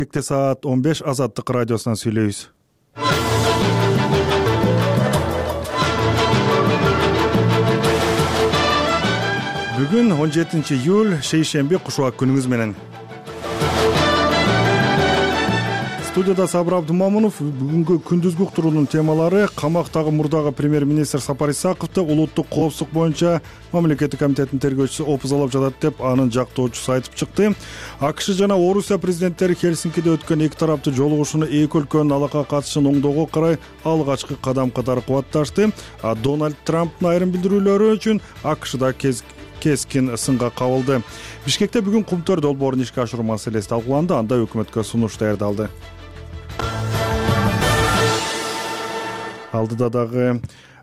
Саат 15 Азаттык радиосунан сүйлөйбүз. Бүгүн 17 июль шейшемби кушубак күнүңүз менен. Студияда Сабыр Абдумамунов. Бүгүнкү күндүзгү уктуруунун темалары: камактагы мурдагы премьер-министр Сапар Исаковду улуттук коопсуздук боюнча мамлекеттик комитеттин тергөөчүсү опузалап жатат деп анын жактоочусу айтып чыкты. АКШ жана Орусия президенттери Хельсинкиде өткөн эки тараптуу жолугушууну эки өлкөнүн алака катышын оңдоого карай алгачкы кадам катары кубатташты. Дональд Трамптын айрым билдирүүлөрү үчүн АКШда кескин сынга кабылды. Бишкекте бүгүн Кум-Төр долбоорун ишке ашыруу маселеси талкууланды. Анда өкмөткө сунуш даярдалды. Алдыда дагы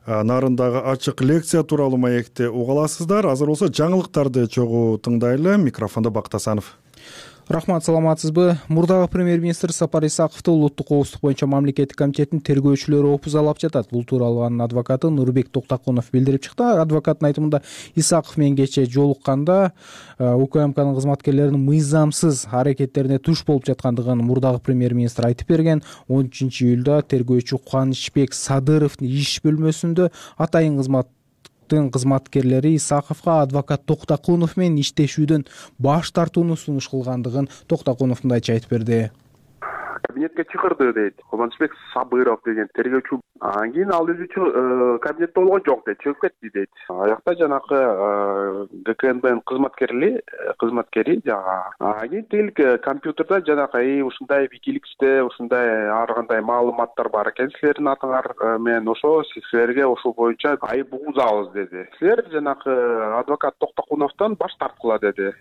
нарындагы ачык лекция тууралуу маекти уга аласыздар. Азыр болсо жаңылыктарды чогуу тыңдайлы. Микрофондо Бактасанов. Рахмат, саламатсызбы? Мурдагы премьер-министр Сапар Исаковду улуттук коопсуздук боюнча мамлекеттик комитеттин тергөөчүлөрү опузалап жатат. Бул тууралуу анын адвокаты Нурбек Токтакунов билдирип чыкты. Адвокаттын айтымында Исаков менен кечээ жолукканда УКМКнын кызматкерлеринин мыйзамсыз аракеттерине туш болуп жаткандыгын мурдагы премьер-министр айтып берген. 13 июлда тергөөчү Кубанычбек Садыровдун иш бөлмөсүндө атайын кызматкерлери Исаковго адвокат Токтакунов менен иштешүүдөн баш тартууну сунуш кылгандыгын Токтакунов мындайча айтып берди. Кабинетке чакырды дейт. Кубанычбек Сабыров деген тергөөчү. Анан кийин ал өзү кабинетте болгон жок дейт, чыгып кетти дейт. Аякта жанакы ГКНБнын кызматкери кийин тил компьютерде жанакы ушундай Wikileaks'те ушундай ар кандай маалыматтар бар экен силердин атыңар менен, ошо силерге ошол боюнча айып угузабыз деди. Силер жанакы адвокат Токтакуновдон баш тарткыла деди.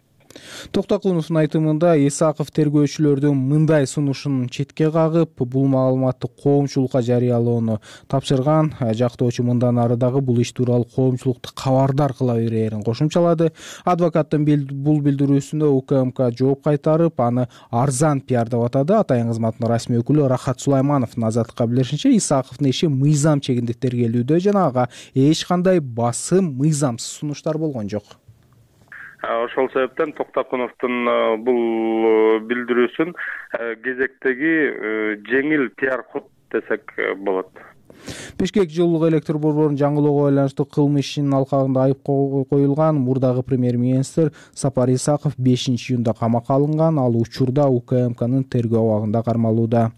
Токтакуновдун айтымында Исаков тергөөчүлөрдүн мындай сунушун четке кагып, бул маалыматты коомчулукка жарыялоону тапшырган. Жактоочу мындан ары дагы бул иш тууралуу коомчулукту кабардар кыла берээрин кошумчалады. Адвокаттын бул билдирүүсүнө УКМК жооп кайтарып, аны арзан пиар деп атады. Атайын кызматтын расмий өкүлү Рахат Сулаймановдун Азаттыкка билдиришинче, Исаковдун иши мыйзам чегинде тергелүүдө жана ага эч кандай басым, мыйзамсыз сунуштар болгон жок. Ошол себептен Токтакуновдун бул билдирүүсүн кезектеги жеңил пиар ход десек болот. Бишкек жылуулук электр борборун жаңылоого байланыштуу кылмыш ишинин алкагында айып коюлган мурдагы премьер-министр Сапар Исаков 5 июнда камакка алынган. Ал учурда УКМКнын тергөө абагында кармалууда.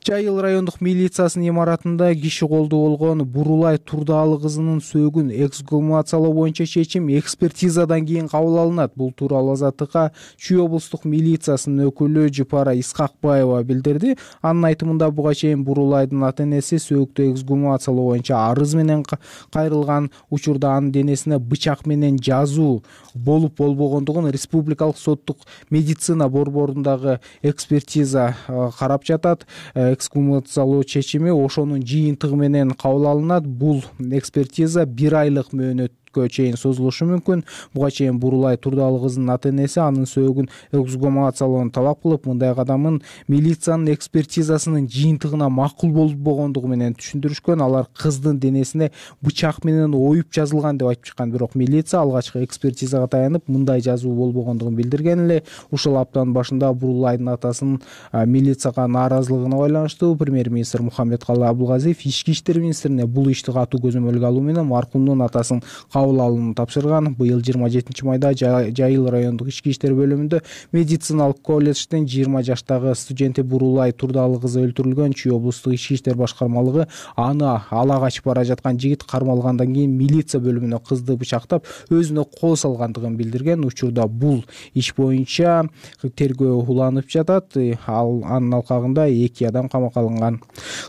Жайыл райондук милициясынын имаратында киши колдуу болгон Бурулай Турдаалы кызынын сөөгүн эксгумациялоо боюнча чечим экспертизадан кийин кабыл алынат. Бул тууралуу Азаттыкка Чүй облустук милициясынын өкүлү Жыпара Исхакбаева билдирди. Анын айтымында буга чейин Бурулайдын ата-энеси сөөктү эксгумациялоо боюнча арыз менен кайрылган. Учурда анын денесине бычак менен жазуу болуп болбогондугун республикалык соттук медицина борборундагы экспертиза карап жатат. Эксгумациялоо чечими ошонун жыйынтыгы менен кабыл алынат. Бул экспертиза 1 айлык мөөнөткө чейин созулушу мүмкүн. Буга чейин Бурулай Турдаалы кызынын ата-энеси анын сөөгүн эксгумациялоону талап кылып, мындай кадамын милициянын экспертизасынын жыйынтыгына макул болбогондугу менен түшүндүрүшкөн. Алар кыздын денесине бычак менен оюп жазылган деп айтып чыккан, бирок милиция алгачкы экспертизага таянып мындай жазуу болбогондугун билдирген эле. Ушул аптанын башында Бурулайдын атасынын милицияга нааразылыгына байланыштуу премьер-министр Мухаммедкалы Абылгазиев ички иштер министрине бул ишти катуу көзөмөлгө алуу менен маркумдун атасын кабыл алууну тапшырган. Быйыл 27 майда Жайыл райондук ички иштер бөлүмүндө медициналык колледждин 20 жаштагы студенти Бурулай Турдаалы кызы өлтүрүлгөн. Чүй облустук ички иштер башкармалыгы аны ала качып бара жаткан жигит кармалгандан кийин милиция бөлүмүнө кызды бычактап өзүнө кол салгандыгын билдирген. Учурда бул иш боюнча тергөө уланып жатат. Анын алкагында 2 адам камакка алынган.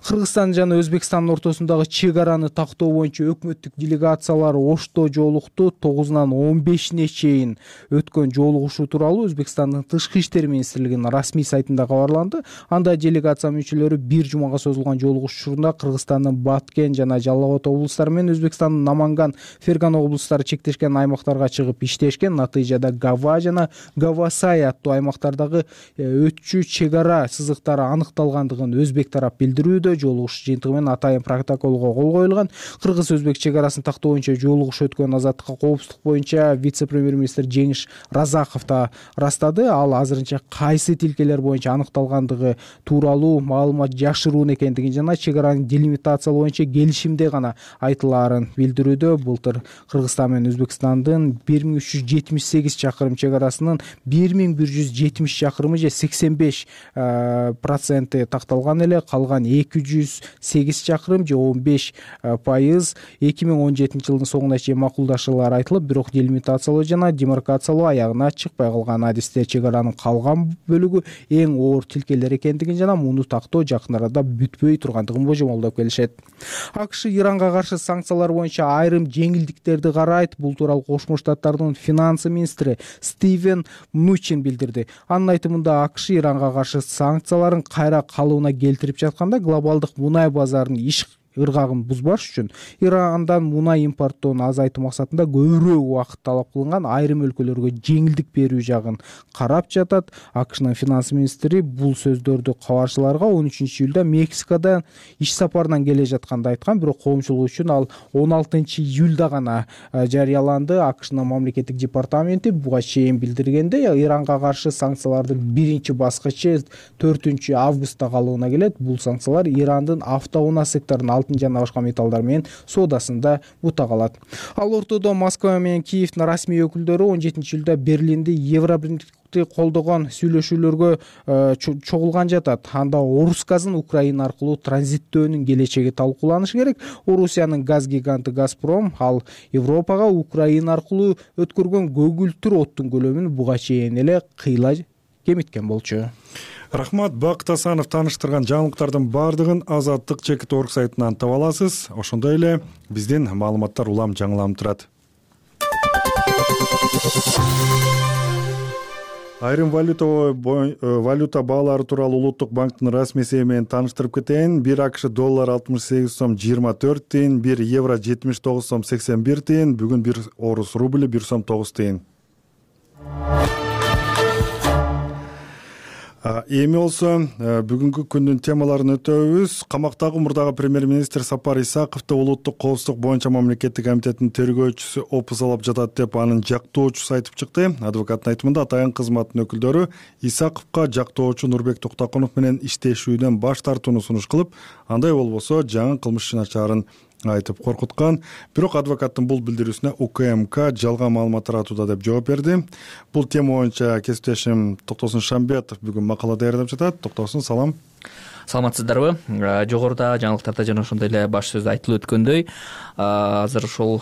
Кыргызстан жана Өзбекстандын ортосундагы чек араны тактоо боюнча өкмөттүк делегациялар Ошто жолукту. 9-нан 15-ине чейин өткөн жолугушуу тууралуу Өзбекстандын тышкы иштер министрлигинин расмий сайтында кабарланды. Анда делегация мүчөлөрү 1 жумага созулган жолугушууда Кыргызстандын Баткен жана Жалал Абад облустары менен Өзбекстандын Наманган, Фергана облустары чектешкен аймактарга чыгып иштешкен. Натыйжада Гава жана Гавасай аттуу аймактардагы өтчү чек ара сызыктары аныкталгандыгын өзбек тарап билдирүүдө. Жолугушуу жыйынтыгы менен атайын протоколго кол коюлган. Кыргыз-өзбек чек арасын тактоо боюнча жолугушуу өткөн азаттыкка коопсуздук боюнча вице-премьер-министр Жеңиш Разаков да ырастады. Ал азырынча кайсы тилкелер боюнча аныкталгандыгы тууралуу маалымат жашыруун экендигин жана чек араны делимитациялоо боюнча келишимде гана айтылаарын билдирүүдө. Былтыр Кыргызстан менен Өзбекстандын 1378 чакырым чек арасынын 1170 чакырымы же 85% такталган эле, калган 208 чакырым же 15% 2017 жылдын соңуна чейин макулдашуулар айтылып, бирок делимитациялоо жана демаркациялоо аягына чыкпай калган. Адисте чек аранын калган бөлүгү эң оор тилкелер экендигин жана муну тактоо жакын арада бүтпөй тургандыгын божомолдоп келишет. АКШ Иранга каршы санкциялар боюнча айрым жеңилдиктерди карайт. Бул тууралуу Кошмо Штаттардын финансы министри Стивен Мнучин билдирди. Анын айтымында АКШ Иранга каршы санкцияларын кайра калыбына келтирип жатканда глобалдык мунай базарынын иш ыргагын бузбаш үчүн Ирандан мунай импорттоон азайтуу максатында көбүрөөк убакыт талап кылынган айрым өлкөлөргө жеңилдик берүү жагын карап жатат. АКШнын финанс министри бул сөздөрдү кабарчыларга 13-июлда Мексикадан иш сапарынан келе жатканда айткан, бирок коомчулук үчүн ал 16-июлда гана жарыяланды. АКШнын мамлекеттик департаменти буга чейин билдиргенде, Иранга каршы санкциялардын биринчи баскычы 4-августта калыбына келет. Бул санкциялар Ирандын автоунаа секторунун алтын жана башка металлдар менен соодасында бута калат. Ал ортодо Москва менен Киевдин расмий өкүлдөрү 17-июлда Берлинде Евробирликти колдогон сүйлөшүүлөргө чогулган жатат. Анда орус газын Украина аркылуу транзиттөөнүн келечеги талкууланышы керек. Орусиянын газ гиганты Газпром ал Европага Украина аркылуу өткөргөн көгүлтүр оттун көлөмүн буга чейин эле кыйла кемиткен болчу. Рахмат. Бакыт Асанов тааныштырган жаңылыктардын баардыгын Азаттык чекит орг сайтынан таба аласыз. Ошондой эле биздин маалыматтар улам жаңыланып турат. Айрым валюта баалары тууралуу Улуттук банктын расмий эсеби менен тааныштырып кетейин. 1 АКШ доллар 68 сом 24 тыйын, 1 евро 79 сом 81 тыйын, бүгүн 1 орус рубли 1 сом 9 тыйын. Эми болсо бүгүнкү күндүн темаларын өтөбүз. Камактагы мурдагы премьер-министр Сапар Исаковду улуттук коопсуздук боюнча мамлекеттик комитеттин тергөөчүсү опузалап жатат деп анын жактоочусу айтып чыкты. Адвокаттын айтымында атайын кызматтын өкүлдөрү Исаковго жактоочу Нурбек Токтокунов менен иштешүүдөн баш тартууну сунуш кылып, андай болбосо жаңы кылмыш ишин ачаарын айтып коркуткан. Бирок адвокаттын бул билдирүүсүнө УКМК жалган маалымат таратууда деп жооп берди. Бул тема боюнча кесиптешим Токтосун Шамбетов бүгүн макала даярдап жатат. Токтосун, салам. Саламатсыздарбы? Жогоруда жаңылыктарда жана ошондой эле баш сөздө айтылып өткөндөй, азыр ошол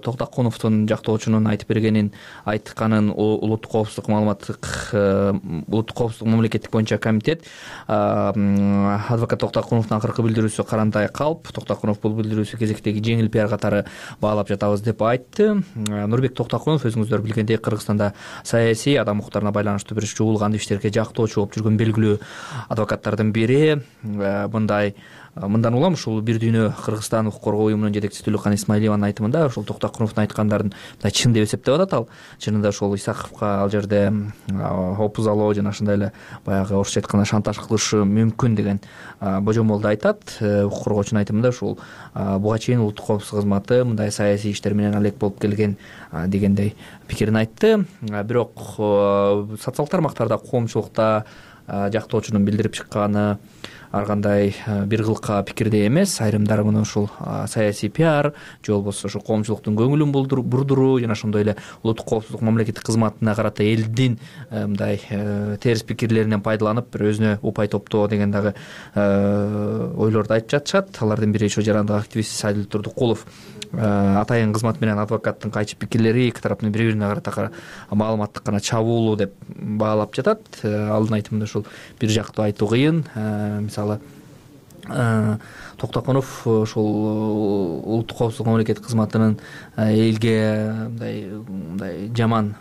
Токтокуновдун жактоочунун айтып бергенин айтканын улуттук коопсуздук улуттук коопсуздук мамлекеттик боюнча комитет адвокат Токтокуновдун акыркы билдирүүсү карандай калп. Токтокунов бул билдирүүсү кезектеги жеңил пиар катары баалап жатабыз деп айтты. Нурбек Токтокунов өзүңүздөр билгендей Кыргызстанда саясий адам укуктарына байланыштуу бир чогулган иштерге жактоочу болуп жүргөн белгилүү адвокаттардын бири. Мындан улам ушул бир дүйнө Кыргызстан укук коргоо уюмунун жетекчиси Түлүкхан Исмаилованын айтымында ушул Токтокуновдун айткандарын чын деп эсептеп атат. Ал чынында ошол Исаковго ал жерде опузалоо жана ошондой эле баягы орусча айтканда шантаж кылышы мүмкүн деген божомолду айтат. Укук коргоочунун айтымында ушул буга чейин улуттук коопсуздук кызматы мындай саясий иштер менен алек болуп келген дегендей пикирин айтты. Бирок социалдык тармактарда коомчулукта жактоочунун билдирип чыкканы ар кандай бир кылка пикирде эмес. Айрымдары муну ушул саясий пиар же болбосо ошо коомчулуктун көңүлүн бурдуруу жана ошондой эле улуттук коопсуздук мамлекеттик кызматына карата элдин мындай терс пикирлеринен пайдаланып бир өзүнө упай топтоо деген дагы ойлорду айтып жатышат. Алардын бири ошо жарандык активист Сайдыл Турдукулов атайын кызмат менен адвокаттын кайчы пикирлери эки тараптын бири-бирине карата маалыматтык гана чабуулуу деп баалап жатат. Алдын айтымында ушул бир жактуу айтуу кыйын. Мисалы Токтокунов ушул улуттук коопсуздук мамлекеттик кызматынын элге мындай жаман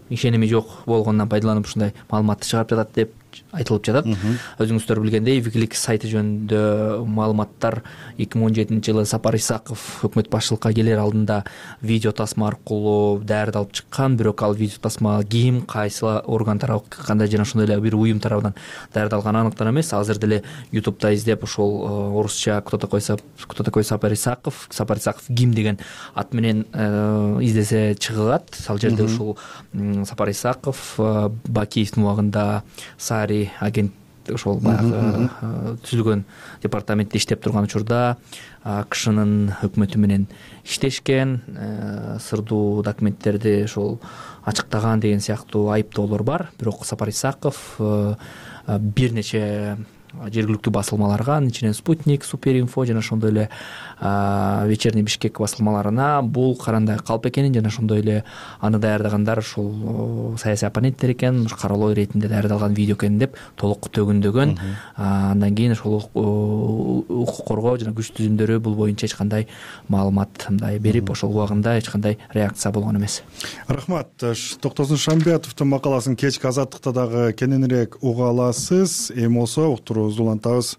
ишеними жок болгонунан пайдаланып ушундай маалыматты чыгарып жатат деп айтылып жатат. Өзүңүздөр билгендей Wikileaks сайты жөнүндө маалыматтар 2017-жылы Сапар Исаков өкмөт башчылыкка келер алдында видео тасма аркылуу даярдалып алып чыккан, бирок ал видео тасма ким, кайсы орган тарабынан, кандай жана ошондой эле бир уюм тарабынан даярдалганы аныктар эмес. Азыр деле YouTube'да издеп ошол орусча кто такой Сапар Исаков ким деген ат менен издесе чыгат. Ал жерде ушул Сапар Исаков Бакиевдин убагында Сари агент ошол баягы түзүлгөн департаментте иштеп турган учурда АКШнын өкмөтү менен иштешкен, сырдуу документтерди ошол ачыктаган деген сыяктуу айыптоолор бар. Бирок Сапар Исаков бир нече жергиликтүү басылмаларга, анын ичинен Спутник, Суперинфо жана ошондой эле Вечерний Бишкек басылмаларына бул карандай калп экенин жана ошондой эле аны даярдагандар ушул саясий оппоненттер экен, каралоо иретинде даярдалган видео экен деп толук төгүндөгөн. Андан кийин ошол укук коргоо жана күч түзүмдөрү бул боюнча эч кандай маалымат мындай берип, ошол убагында эч кандай реакция болгон эмес. Рахмат. Токтосун Шамбетовдун макаласын кечки Азаттыкта дагы кененирээк уга аласыз. Эми болсо уктуруубузду улантабыз.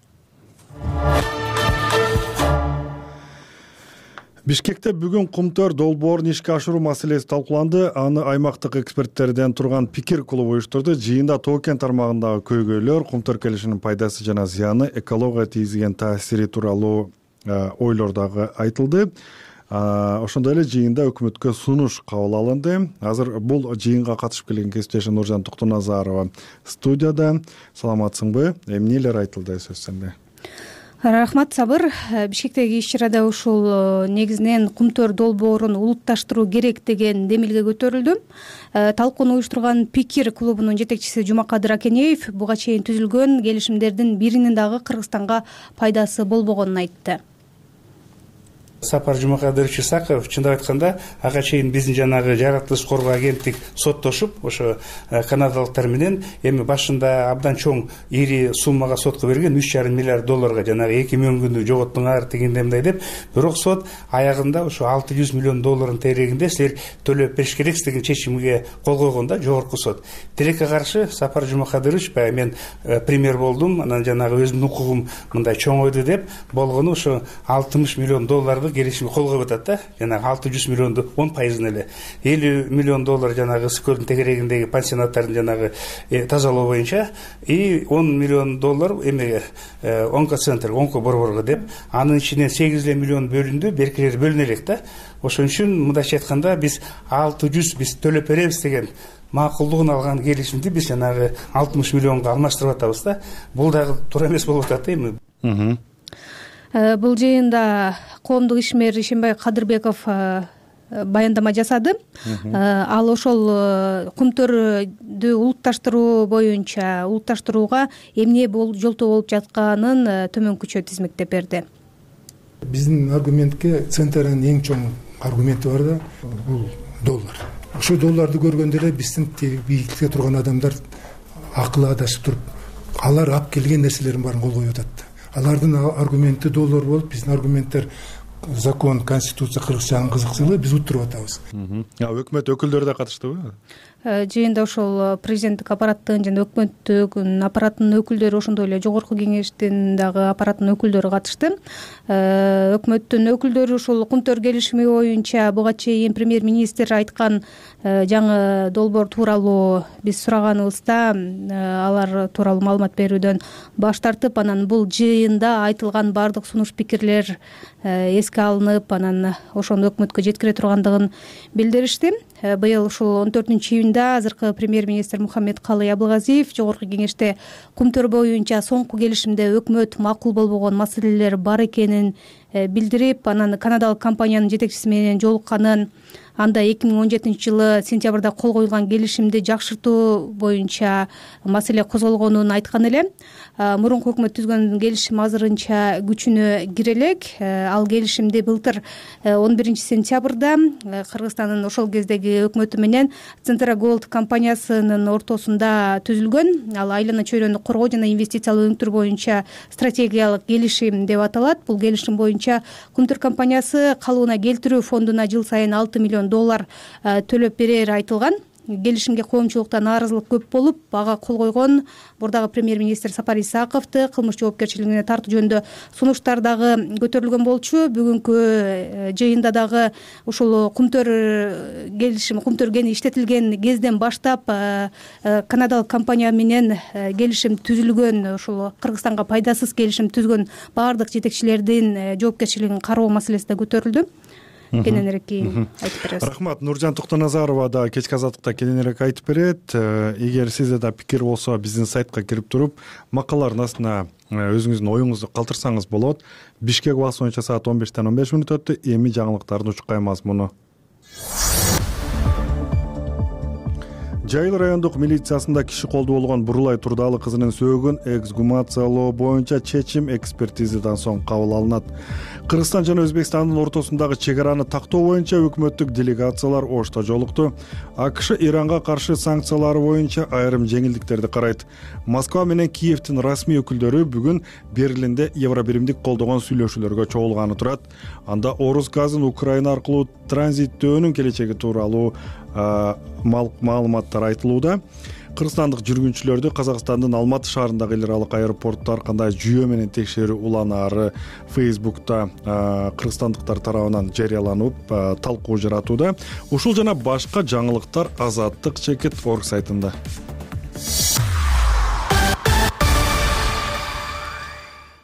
Бишкекте бүгүн Кумтөр долбоорун ишке ашыруу маселеси талкууланды. Аны аймактык эксперттерден турган пикир клубу уюштурду. Жыйында Тоо кен тармагындагы көйгөйлөр, Кумтөр келишиминин пайдасы жана зыяны, экологияга тийгизген таасири тууралуу ойлор дагы айтылды. Ошондой эле жыйында өкмөткө сунуш кабыл алынды. Азыр бул жыйынга катышып келген кесиптешим Нуржан Токтоназарова студияда. Саламатсыңбы? Эмнелер айтылды сөз сенде? Рахмат, Сабыр. Бишкектеги иш-чарада ушул негизинен Кумтөр долбоорун улутташтыруу керек деген демилге көтөрүлдү. Талкууну уюштурган пикир клубунун жетекчиси Жумакадыр Акенеев буга чейин түзүлгөн келишимдердин биринин дагы Кыргызстанга пайдасы болбогонун айтты. Сапар Жумакадырович Исаков чындап айтканда ага чейин биздин жанагы жаратылыш коргоо агенттик соттошуп, ошо канадалыктар менен эми башында абдан чоң ири суммага сотко берген $3,5 миллиард жанагы 2 мөңгүндү жоготтуңар дегенде мындай деп, бирок сот аягында ошо $600 миллион терегинде силер төлөп бериш керексиз деген чечимге кол койгон да жогорку сот. Тилекке каршы Сапар Жумакадырович баягы мен премьер болдум, анан жанагы өзүмдүн укугум мындай чоңойду деп болгону ошо $60 миллион келишимге кол коюп атат да. Жанагы $600 миллионду 10% эле $50 миллион жанагы Скөлдүн тегерегиндеги пансионаттардын жанагы тазалоо боюнча и $10 миллион эмеге онкоцентр, онкоборборго деп, анын ичинен 8 миллион бөлүндү, беркилери бөлүнө элек да. Ошон үчүн мындайча айтканда биз 600 биз төлөп беребиз деген макулдугун алган келишимди биз жанагы 60 миллионго алмаштырып атабыз да. Бул дагы туура эмес болуп атат да эми. Бул жыйында коомдук ишмер Ишенбай Кадырбеков баяндама жасады. Ал ошол Кумтөрдү улутташтыруу боюнча улутташтырууга эмне жолтоо болуп жатканын төмөнкүчө тизмектеп берди. Биздин аргументке Центрдин эң чоң аргументи бар да, бул доллар. Ошол долларды көргөндө эле биздин бийликте турган адамдар акылы адашып туруп, алар алып келген нерселердин баарын кол коюп атат. Алардын аргументи доллар болуп, биздин аргументтер закон, конституция кыргызчанын кызыкчылыгы, биз уттуруп атабыз. Өкмөт өкүлдөрү да катыштыбы? Жыйында ошол президенттик аппараттын жана өкмөттүн аппараттын өкүлдөрү, ошондой эле жогорку кеңештин дагы аппараттын өкүлдөрү катышты. Өкмөттүн өкүлдөрү ушул Кумтөр келишими боюнча буга чейин премьер-министр айткан жаңы долбоор тууралуу биз сураганыбызда алар тууралуу маалымат берүүдөн баш тартып, анан бул жыйында айтылган баардык сунуш пикирлер эске алынып, анан ошону өкмөткө жеткире тургандыгын билдиришти. Быйыл ушул 14-июнда азыркы премьер-министр Мухаммед Калый Абылгазиев жогорку кеңеште Кумтөр боюнча соңку келишимде өкмөт макул болбогон маселелер бар экенин билдирип, анан канадалык компаниянын жетекчиси менен жолукканын, анда 2017-жылы сентябрда кол коюлган келишимди жакшыртуу боюнча маселе козголгонун айткан эле. Мурунку өкмөт түзгөн келишим азырынча күчүнө кире элек. Ал келишимди былтыр 11-сентябрда Кыргызстандын ошол кездеги өкмөтү менен Центрагоld компаниясынын ортосунда түзүлгөн. Ал айлана чөйрөнү коргоо жана инвестициялык өнүктүрүү боюнча стратегиялык келишим деп аталат. Бул келишим боюнча Кумтөр компаниясы калыбына келтирүү фондуна жыл сайын $6 миллион төлөп берери айтылган. келишимге коомчулукта нааразылык көп болуп, ага кол койгон мурдагы премьер-министр Сапар Исаковду кылмыш жоопкерчилигине тартуу жөнүндө сунуштар дагы көтөрүлгөн болчу. Бүгүнкү жыйында дагы ушул кумтөр кени иштетилген кезден баштап канадалык компания менен келишим түзүлгөн, ушул Кыргызстанга пайдасыз келишим түзгөн баардык жетекчилердин жоопкерчилигин кароо маселеси да көтөрүлдү. Кененирээк кийин айтып беребиз. Рахмат. Нуржан Токтоназарова да кечки азаттыкта кененирээк айтып берет. Эгер сизде да пикир болсо, биздин сайтка кирип туруп, макалалардын астына өзүңүздүн оюңузду калтырсаңыз болот. Бишкек убакыты боюнча саат 15:15 өттү. Эми жаңылыктардын учкай мазмуну. Жайыл райондук милициясында киши колдуу болгон Бурулай Турдалы кызынын сөөгүн эксгумациялоо боюнча чечим экспертизадан соң кабыл алынат. Кыргызстан жана Өзбекстандын ортосундагы чек араны тактоо боюнча өкмөттүк делегациялар Ошто жолукту. АКШ Иранга каршы санкциялары боюнча айрым жеңилдиктерди карайт. Москва менен Киевдин расмий өкүлдөрү бүгүн Берлинде Евробиримдик колдогон сүйлөшүүлөргө чогулганы турат. Анда Орус газын Украина аркылуу транзиттөөнүн келечеги тууралуу маалыматтар айтылууда. Кыргызстандык жүргүнчүлөрдү Казакстандын Алматы шаарындагы эл аралык аэропорттор кандай жүйө менен текшерүү уланаары Facebook'та кыргызстандыктар тарабынан жарыяланып, талкуу жаратууда. Ушул жана башка жаңылыктар Азаттык.org сайтында.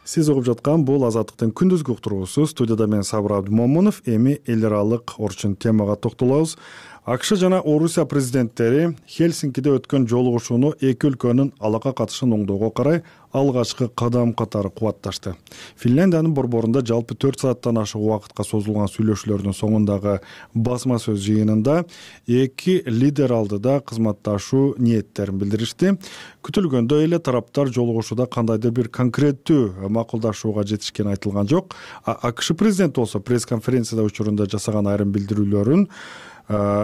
Сиз угуп жаткан бул Азаттыктын күндүзгү уктуруусу. Студияда мен Сабыр Абдымомунов. Эми эл аралык орчун темага токтолобуз. АКШ жана Орусия президенттери Хельсинкиде өткөн жолугушууну эки өлкөнүн алака катышын оңдоого карай алгачкы кадам катары кубатташты. Финляндиянын борборунда жалпы 4 сааттан ашык убакытка созулган сүйлөшүүлөрдүн соңундагы басма сөз жыйынында эки лидер алдыда кызматташуу ниеттерин билдиришти. Күтүлгөндөй эле тараптар жолугушууда кандайдыр бир конкреттүү макулдашууга жетишкени айтылган жок. АКШ президенти болсо пресс-конференцияда учурунда жасаган айрым билдирүүлөрүн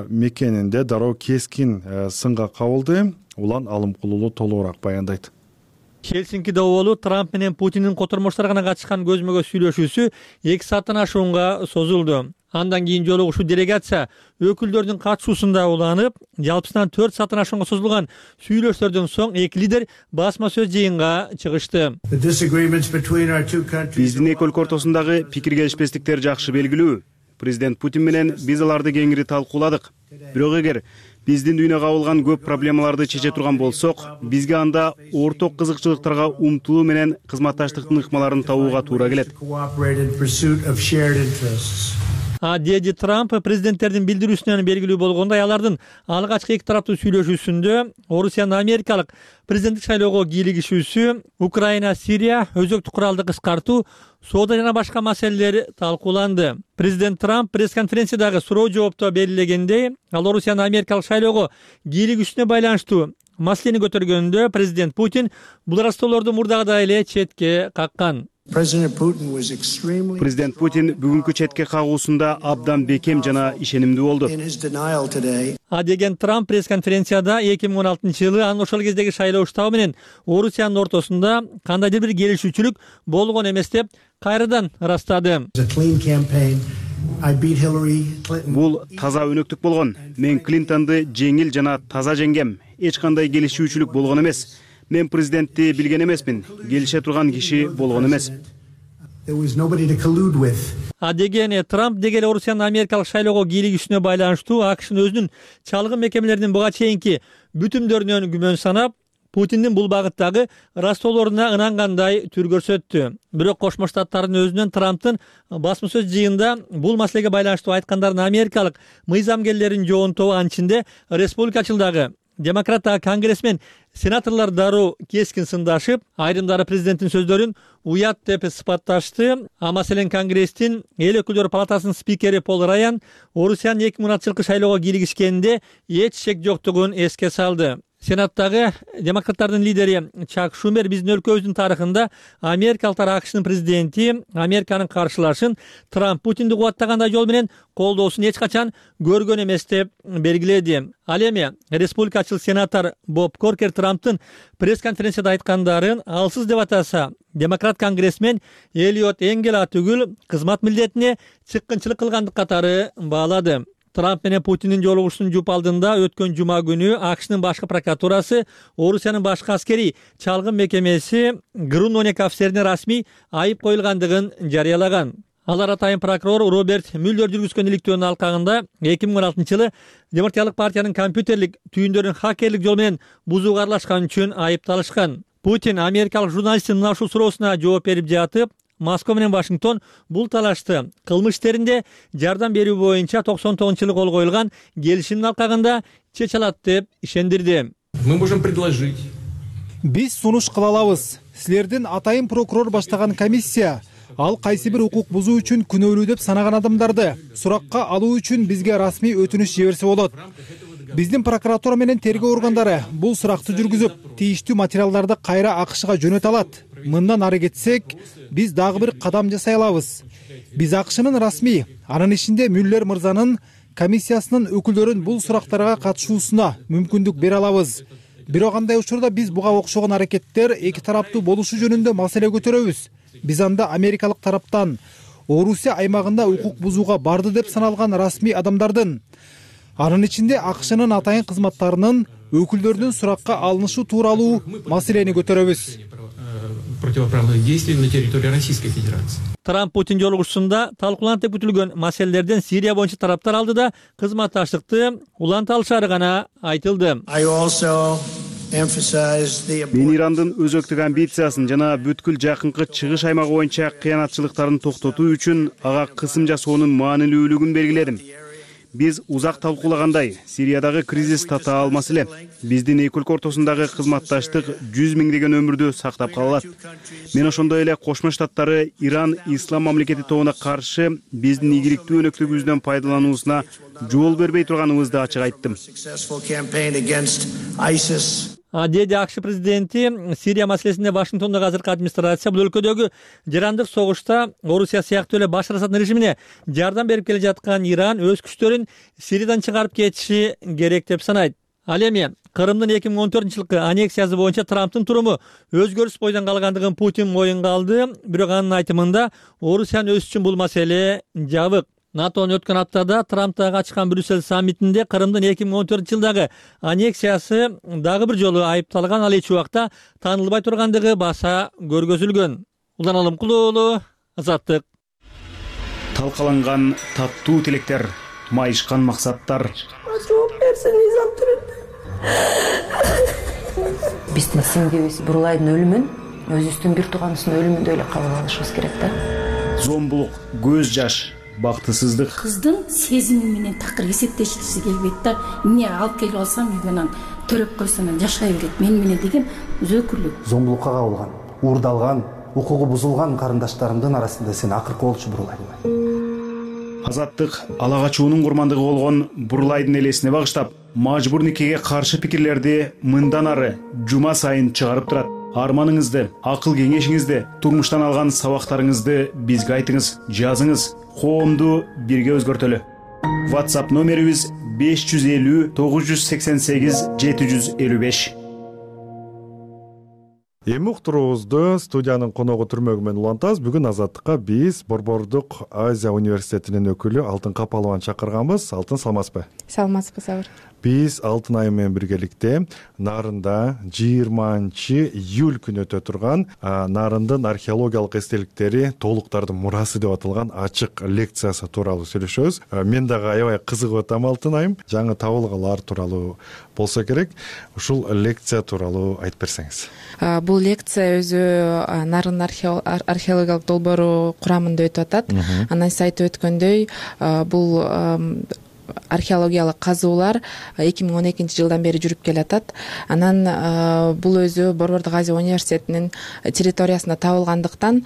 мекенинде дароо кескин сынга кабылды. Улан Алымкулуулу толугураак баяндайт. Хельсинкиде оболу Трамп менен Путиндин котормоштор гана катышкан көзмөгө сүйлөшүүсү 2 сааттан ашуунга созулду. Андан кийин жолугушуу делегация өкүлдөрдүн катышуусунда уланып, жалпысынан 4 сааттан ашуунга созулган сүйлөшүүлөрдөн соң эки лидер басма сөз жыйынга чыгышты. Биздин эки өлкө ортосундагы пикир келишпестиктер жакшы белгилүү. Президент Путин менен биз аларды кеңири талкууладык. Бирок эгер биздин дүйнөгө кабылган көп проблемаларды чече турган болсок, бизге анда орток кызыкчылыктарга умтулуу менен кызматташтыктын ыкмаларын табууга туура келет. Деди Трамп президенттердин билдирүүсүнөн белгилүү болгондой, алардын алгачкы эки тараптуу сүйлөшүүсүндө Орусиянын америкалык президенттик шайлоого кийлигишүүсү, Украина, Сирия, өзөктүк куралды кыскартуу, соода жана башка маселелер талкууланды. Президент Трамп пресс-конференциядагы суроо жоопто белгилегендей, ал Орусиянын америкалык шайлоого кийлигишүүсүнө байланыштуу маселени көтөргөндө президент Путин бул растоолорду мурдагыдай эле четке каккан. Президент Путин бүгүнкү четке кагуусунда абдан бекем жана ишенимдүү болду. Деген Трамп пресс-конференцияда 2016-жылы анын ошол кездеги шайлоо штабы менен Орусиянын ортосунда кандайдыр бир келишүүчүлүк болгон эмес деп кайрадан ырастады. Бул таза өнөктүк болгон. Мен Клинтонду жеңил жана таза жеңгем. Эч кандай келишүүчүлүк болгон эмес. Мен президентти билген эмесмин. Келише турган киши болгон эмес. Деген Трамп деги эле Орусиянын америкалык шайлоого кийлигишүүсүнө байланыштуу АКШнын өзүнүн чалгын мекемелеринин буга чейинки бүтүмдөрүнөн күмөн санап, Путиндин бул багыттагы растоолоруна ынангандай түр көрсөттү. Бирок Кошмо Штаттардын өзүнөн Трамптын басма сөз жыйында бул маселеге байланыштуу айткандарын америкалык мыйзамгерлердин жоонтобу, анын ичинде республикачылдагы демократтагы конгрессмен сенаторлор дароо кескин сындашып, айрымдары президенттин сөздөрүн уят деп сыпатташты. Маселен Конгресстин эл өкүлдөр палатасынын спикери Пол Раян Орусиянын 2016-жылкы шайлоого кийлигишкенинде эч шек жоктугун эске салды. Сенаттагы демократтардын лидери Чак Шумер биздин өлкөбүздүн тарыхында америкалыктар АКШнын президенти Американын каршылашын Трамп Путинди кубаттагандай жол менен колдоосун эч качан көргөн эмес деп белгиледи. Ал эми республикачыл сенатор Боб Коркер Трамптын пресс-конференцияда айткандарын алсыз деп атаса, демократ конгрессмен Элиот Энгел атүгүл кызмат милдетине чыккынчылык кылгандык катары баалады. Трамп менен Путиндин жолугушуусунун жуп алдында өткөн жума күнү АКШнын башкы прокуратурасы Орусиянын башкы аскерий чалгын мекемеси ГРУ-12 офицерине расмий айып коюлгандыгын жарыялаган. Алар атайын прокурор Роберт Мюллер жүргүзгөн иликтөөнүн алкагында 2016 жылы Демократиялык партиянын компьютерлик түйүндөрүн хакерлик жол менен бузууга аралашкан үчүн айыпталышкан. Путин америкалык журналисттин мына ушул суроосуна жооп берип жатып, Москва менен Вашингтон бул талашты кылмыш иштеринде жардам берүү боюнча 99-жылы кол коюлган келишимдин алкагында чече алат деп ишендирди. Мы можем предложить. Биз сунуш кыла алабыз. Силердин атайын прокурор баштаган комиссия ал кайсы бир укук бузуу үчүн күнөөлүү деп санаган адамдарды суракка алуу үчүн бизге расмий өтүнүч жиберсе болот. Биздин прокуратура менен тергөө органдары бул суракты жүргүзүп, тийиштүү материалдарды кайра АКШга жөнөтө алат. Мындан ары кетсек, биз дагы бир кадам жасай алабыз. Биз АКШнын расмий, анын ичинде Мюллер мырзанын комиссиясынын өкүлдөрүн бул сурактарга катышуусуна мүмкүндүк бере алабыз. Бирок андай учурда биз буга окшогон аракеттер эки тараптуу болушу жөнүндө маселе көтөрөбүз. Биз анда америкалык тараптан Орусия аймагында укук бузууга барды деп саналган расмий адамдардын, анын ичинде АКШнын атайын кызматтарынын өкүлдөрүнүн суракка алынышы тууралуу маселени көтөрөбүз. Противоправных действий на территории Российской Федерации. Трамп Путин жолугушуусунда талкууланат деп күтүлгөн маселелерден Сирия боюнча тараптар алдыда кызматташтыкты уланталышары гана айтылды. Мен Ирандын өзөктүк амбициясын жана бүткүл жакынкы чыгыш аймагы боюнча кыянатчылыктарын токтотуу үчүн ага кысым жасоонун маанилүүлүгүн белгиледим. Биз узак талкуулагандай, Сириядагы кризис татаал маселе. Биздин эки өлкө ортосундагы кызматташтык 100 миңдеген өмүрдү сактап калат. Мен ошондой эле Кошмо Штаттары Иран ислам мамлекети тобуна каршы биздин ийгиликтүү өнөктүгүбүздөн пайдалануусуна жол бербей турганыбызды ачык айттым. Деди АКШ президенти Сирия маселесинде Вашингтондогу азыркы администрация бул өлкөдөгү жарандык согушта Орусия сыяктуу эле Башар Асаддын режимине жардам берип келе жаткан Иран өз күчтөрүн Сириядан чыгарып кетиши керек деп санайт. Ал эми Кырымдын 2014-жылкы аннексиясы боюнча Трамптын туруму өзгөрүспөй калгандыгын Путин моюнга алды, бирок анын айтымында Орусиянын өзү үчүн бул маселе жабык. НАТОнун өткөн аптада Трамптагы ачкан Брюссель саммитинде Кырымдын 2014-жылдагы аннексиясы дагы бир жолу айыпталган, ал эч убакта таанылбай тургандыгы баса көргөзүлгөн. Улан Алымкулуу, Азаттык. Талкаланган таттуу тилектер, майышкан максаттар. Биздин сиңдибиз Бурлайдын өлүмүн өзүбүздүн бир тууганыбыздын өлүмүндөй эле кабыл алышыбыз керек да. Зомбулук, көз жаш, бактысыздык. Кыздын сезими менен такыр эсептешкиси келбейт да. Эмне алып келип алсам үйгөнөн төрөп койсом жашай берет мен менен деген өзөкүрлүк. Зомбулукка кабылган, уурдалган, укугу бузулган карындаштарымдын арасында сен акыркы болчу Бурлай. Азаттык ала качуунун курмандыгы болгон Бурлайдын элесине багыштап, мажбур никеге каршы пикирлерди мындан ары жума сайын чыгарып турат. Арманыңызды, акыл кеңешиңизди, турмуштан алган сабактарыңызды бизге айтыңыз, жазыңыз, коомду бирге өзгөртөлү. WhatsApp номерибиз 550 988 755. Эми уктуруубузду студиянын коногу түрмөгү менен улантабыз. Бүгүн Азаттыкка биз Борбордук Азия университетинин өкүлү Алтын Капалованы чакырганбыз. Алтын, саламатсызбы? Саламатсызбы, Сабыр. Биз Алтын айы менен биргеликте Нарында 20-июль күнү өтө турган Нарындын археологиялык эстеликтери толуктардын мурасы деп аталган ачык лекциясы тууралуу сүйлөшөбүз. Мен дагы аябай кызыгып атам, Алтын айым. Жаңы табылгалар тууралуу болсо керек. Ушул лекция тууралуу айтып берсеңиз. Бул лекция өзү Нарын археологиялык долбоору курамында өтүп атат. Анан сиз айтып өткөндөй, бул археологиялык казуулар 2012 жылдан бери жүрүп келатат. Анан бул өзү Борбордук Азия университетинин территориясында табылгандыктан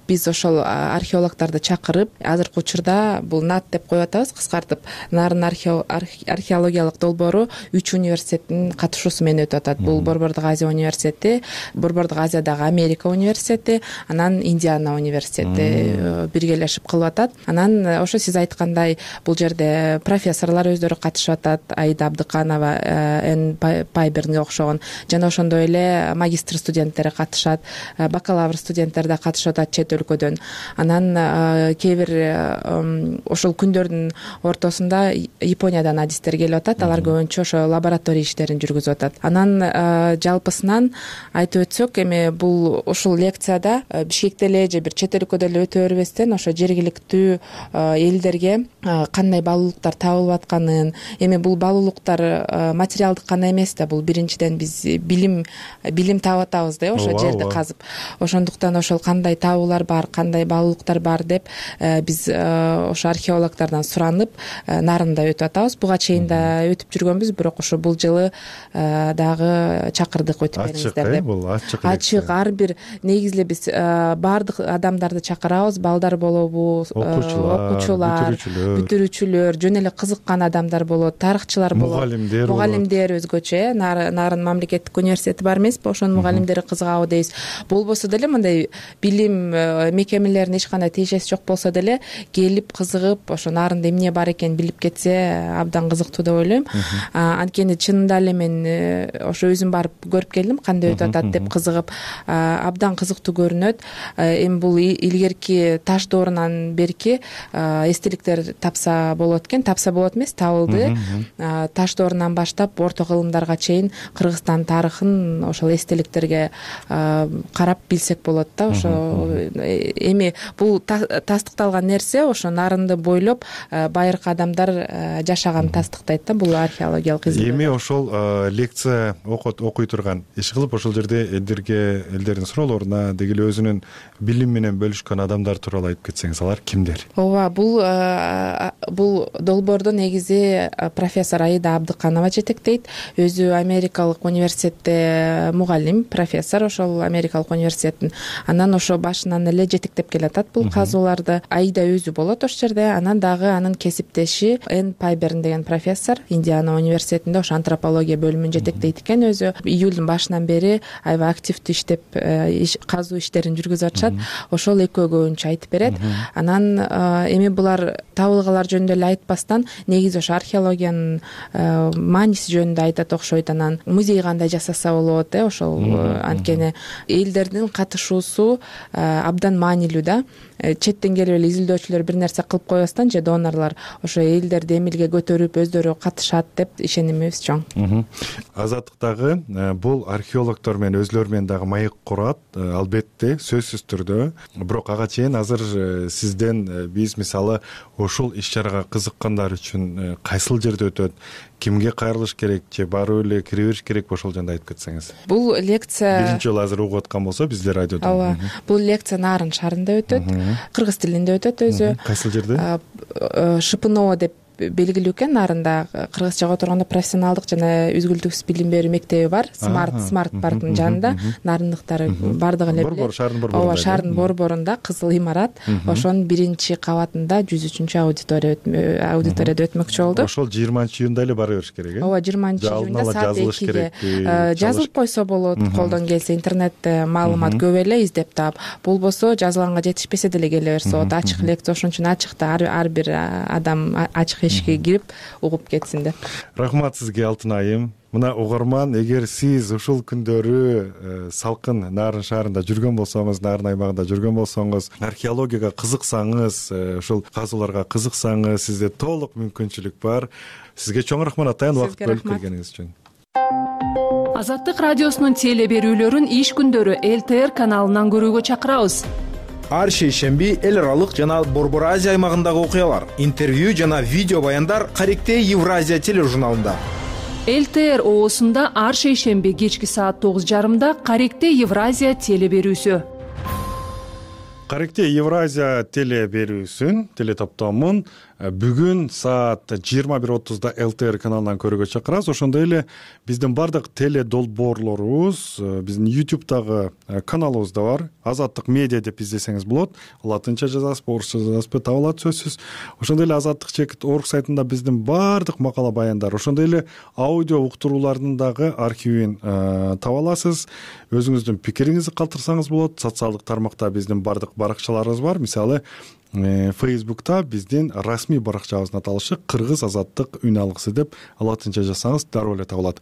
биз ошол археологдорду чакырып, азыркы учурда бул НАТ деп коюп атабыз, кыскартып. Нарын археологиялык долбоору 3 университеттин катышуусу менен өтүп атат. Бул Борбордук Азия университети, Борбордук Азиядагы Америка университети, анан Индиана университети биргелешип кылып атат. Анан ошо сиз айткандай, бул жерде жерде профессорлор өздөрү катышып атат. Аида Абдыканова, Н Пайбернге окшогон, жана ошондой эле магистр студенттери катышат, бакалавр студенттер да катышып атат чет өлкөдөн. Анан кээ бир ошол күндөрдүн ортосунда Япониядан адистер келип атат. Алар көбүнчө ошо лаборатория иштерин жүргүзүп атат. Анан жалпысынан айтып өтсөк, эми бул ушул лекцияда Бишкекте эле же бир чет өлкөдө эле өтө бербестен ошо жергиликтүү элдерге кандай баалуулуктар табылып атканын, эми бул баалуулуктар материалдык гана эмес да, бул биринчиден биз билим таап атабыз да, ошо жерди казып. Ошондуктан ошол кандай табуулар бар, кандай баалуулуктар бар деп биз ошо археологдордон суранып нарында өтүп атабыз. Буга чейин да өтүп жүргөнбүз, бирок ошо бул жылы дагы чакырдык өтүп бериңиздер деп. Бул Ачык, ар бир негизи эле биз баардык адамдарды чакырабыз. Балдар болобу, окуучулар, бүтүрүүчүлөр, жөн эле кызыккан адамдар болот, тарыхчылар болот, мугалимдер өзгөчө, Нарын мамлекеттик университети бар эмеспи, ошонун мугалимдери кызыгабы дейбиз. Болбосо деле мындай билим мекемелерине эч кандай тиешеси жок болсо деле келип кызыгып, ошо Нарында эмне бар экенин билип кетсе абдан кызыктуу деп ойлойм. Анткени чынында эле мен ошо өзүм барып көрүп келдим, кандай өтүп атат деп кызыгып, абдан кызыктуу көрүнөт. Эми бул илгерки таш доорунан берки эстеликтер тапса болот экен, тапса болот эмес, табылды. Таш доорунан баштап орто кылымдарга чейин Кыргызстан тарыхын ошол эстеликтерге карап билсек болот да. Ошо эми бул тастыкталган нерсе ошо Нарынды бойлоп байыркы адамдар жашаган тастыктайт да, бул археологиялык изилдөө. Эми ошол лекция окуй турган иш кылып ошол жерде элдердин суроолоруна деги эле өзүнүн билим менен бөлүшкөн адамдар тууралуу айтып кетсеңиз, алар кимдер? Ооба, бул долбоорду негизи профессор Аида Абдыканова жетектейт. Өзү Америкалык университетте мугалим, профессор ошол Америкалык университеттин. Анан ошо башынан эле жетектеп келатат бул казууларды. Аида өзү болот ошол жерде. Анан дагы анын кесиптеши Н Пайберн деген профессор Индиана университетинде ошо антропология бөлүмүн жетектейт экен. Өзү июлдун башынан бери аябай активдүү иштеп казуу иштерин жүргүзүп атышат. Ошол экөө көбүнчө айтып берет. Анан эми булар табылгалар жөнүндө эле айтпастан негизи ошо археологиянын мааниси жөнүндө айтат окшойт. Анан музей кандай жасаса болот, ошол анткени элдердин катышуусу абдан маанилүү да. Четтен келип эле изилдөөчүлөр бир нерсе кылып койбостон же донорлор ошо элдерди эмилге көтөрүп өздөрү катышат деп ишенимибиз чоң. Азаттык дагы бул археологдор менен өзүлөрү менен дагы маек курат, албетте, сөзсүз түрдө. Бирок ага чейин азыр сизден биз мисалы ошол иш-чарага кызыккандар үчүн кайсыл жерде өтөт, кимге кайрылыш керек же барып эле кире бериш керек, ошол жөнүндө айтып кетсеңиз. Бул лекция биринчи жолу азыр угуп аткан болсо биздер радиодон. Ооба, бул лекция Нарын шаарында өтөт, кыргыз тилинде өтөт өзү. Кайсыл жерде? ШПНО деп белгилүү экен. Нарында кыргызчага отурганда профессионалдык жана үзгүлтүксүз билим берүү мектеби бар. Смарт парктын жанында. Нарындыктар бардыгы эле билет. Ооба, шаардын борборунда кызыл имарат. Ошонун биринчи кабатында 103 аудиторияда өтмөкчү болду. Ошол 20-июнда эле бара бериш керек, Ооба, 20-июнда саат 2-ге жазылып койсо болот. Колдон келсе интернетте маалымат көп эле издеп таап. Болбосо жазылганга жетишпесе деле келе берсе болот. Ачык лекция, ошон үчүн ачыкта ар бир адам ачык ишке кирип угуп кетсин деп. Рахмат сизге, Алтын айым. Мына угарман, эгер сиз ушул күндөрү салкын Нарын шаарында жүргөн болсоңуз, Нарын аймагында жүргөн болсоңуз, археологияга кызыксаңыз, ушул казууларга кызыксаңыз, сизде толук мүмкүнчүлүк бар. Сизге чоң рахмат атайын, убакыт бөлүп келгениңиз үчүн. Азаттык радиосунун теле берүүлөрүн иш күндөрү ЛТР каналынан көрүүгө чакырабыз. Ар шейшемби эл аралык жана Борбор Азия аймагындагы окуялар, интервью жана видео баяндар Каректе Евразия тележурналында. ЛТР оосунда ар шейшемби кечки саат 9:30 Каректе Евразия теле берүүсү. Каректе Евразия теле берүүсүн, теле топтомун бүгүн саат 21:30 ЛТР каналынан көрүүгө чакырабыз. Ошондой эле биздин бардык теле долбоорлорубуз биздин YouTube'дагы каналыбызда бар. Азаттык медиа деп издесеңиз болот. Латынча жазасызбы, орусча жазасызбы, табылат сөзсүз. Ошондой эле azattik.org сайтында биздин бардык макала баяндар, ошондой эле аудио уктуруулардын дагы архивин таба аласыз. Өзүңүздүн пикириңизди калтырсаңыз болот. Социалдык тармакта биздин бардык баракчаларыбыз бар. Мисалы Facebook'ta биздин расмий баракчабыздын аталышы Кыргыз азаттык үн алгысы деп латынча жазсаңыз дароо эле табылат.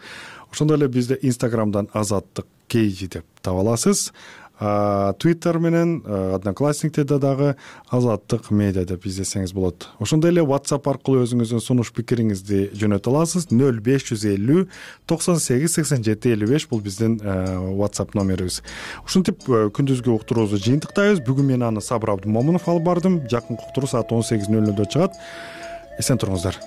Ошондой эле бизде Instagram'дан азаттык кейжи деп таба аласыз. Twitter менен Одноклассниктерде дагы азаттык медиа деп издесеңиз болот. Ошондой эле WhatsApp аркылуу өзүңүздүн сунуш пикириңизди жөнөтө аласыз. 0550 98 87 55 бул биздин WhatsApp номерибиз. Ушинтип күндүзгү уктуруубузду жыйынтыктайбыз. Бүгүн мен аны Сабыр Абдымомунов алып бардым. Жакынкы уктуруу саат 18:00 чыгат. Эсен туруңуздар.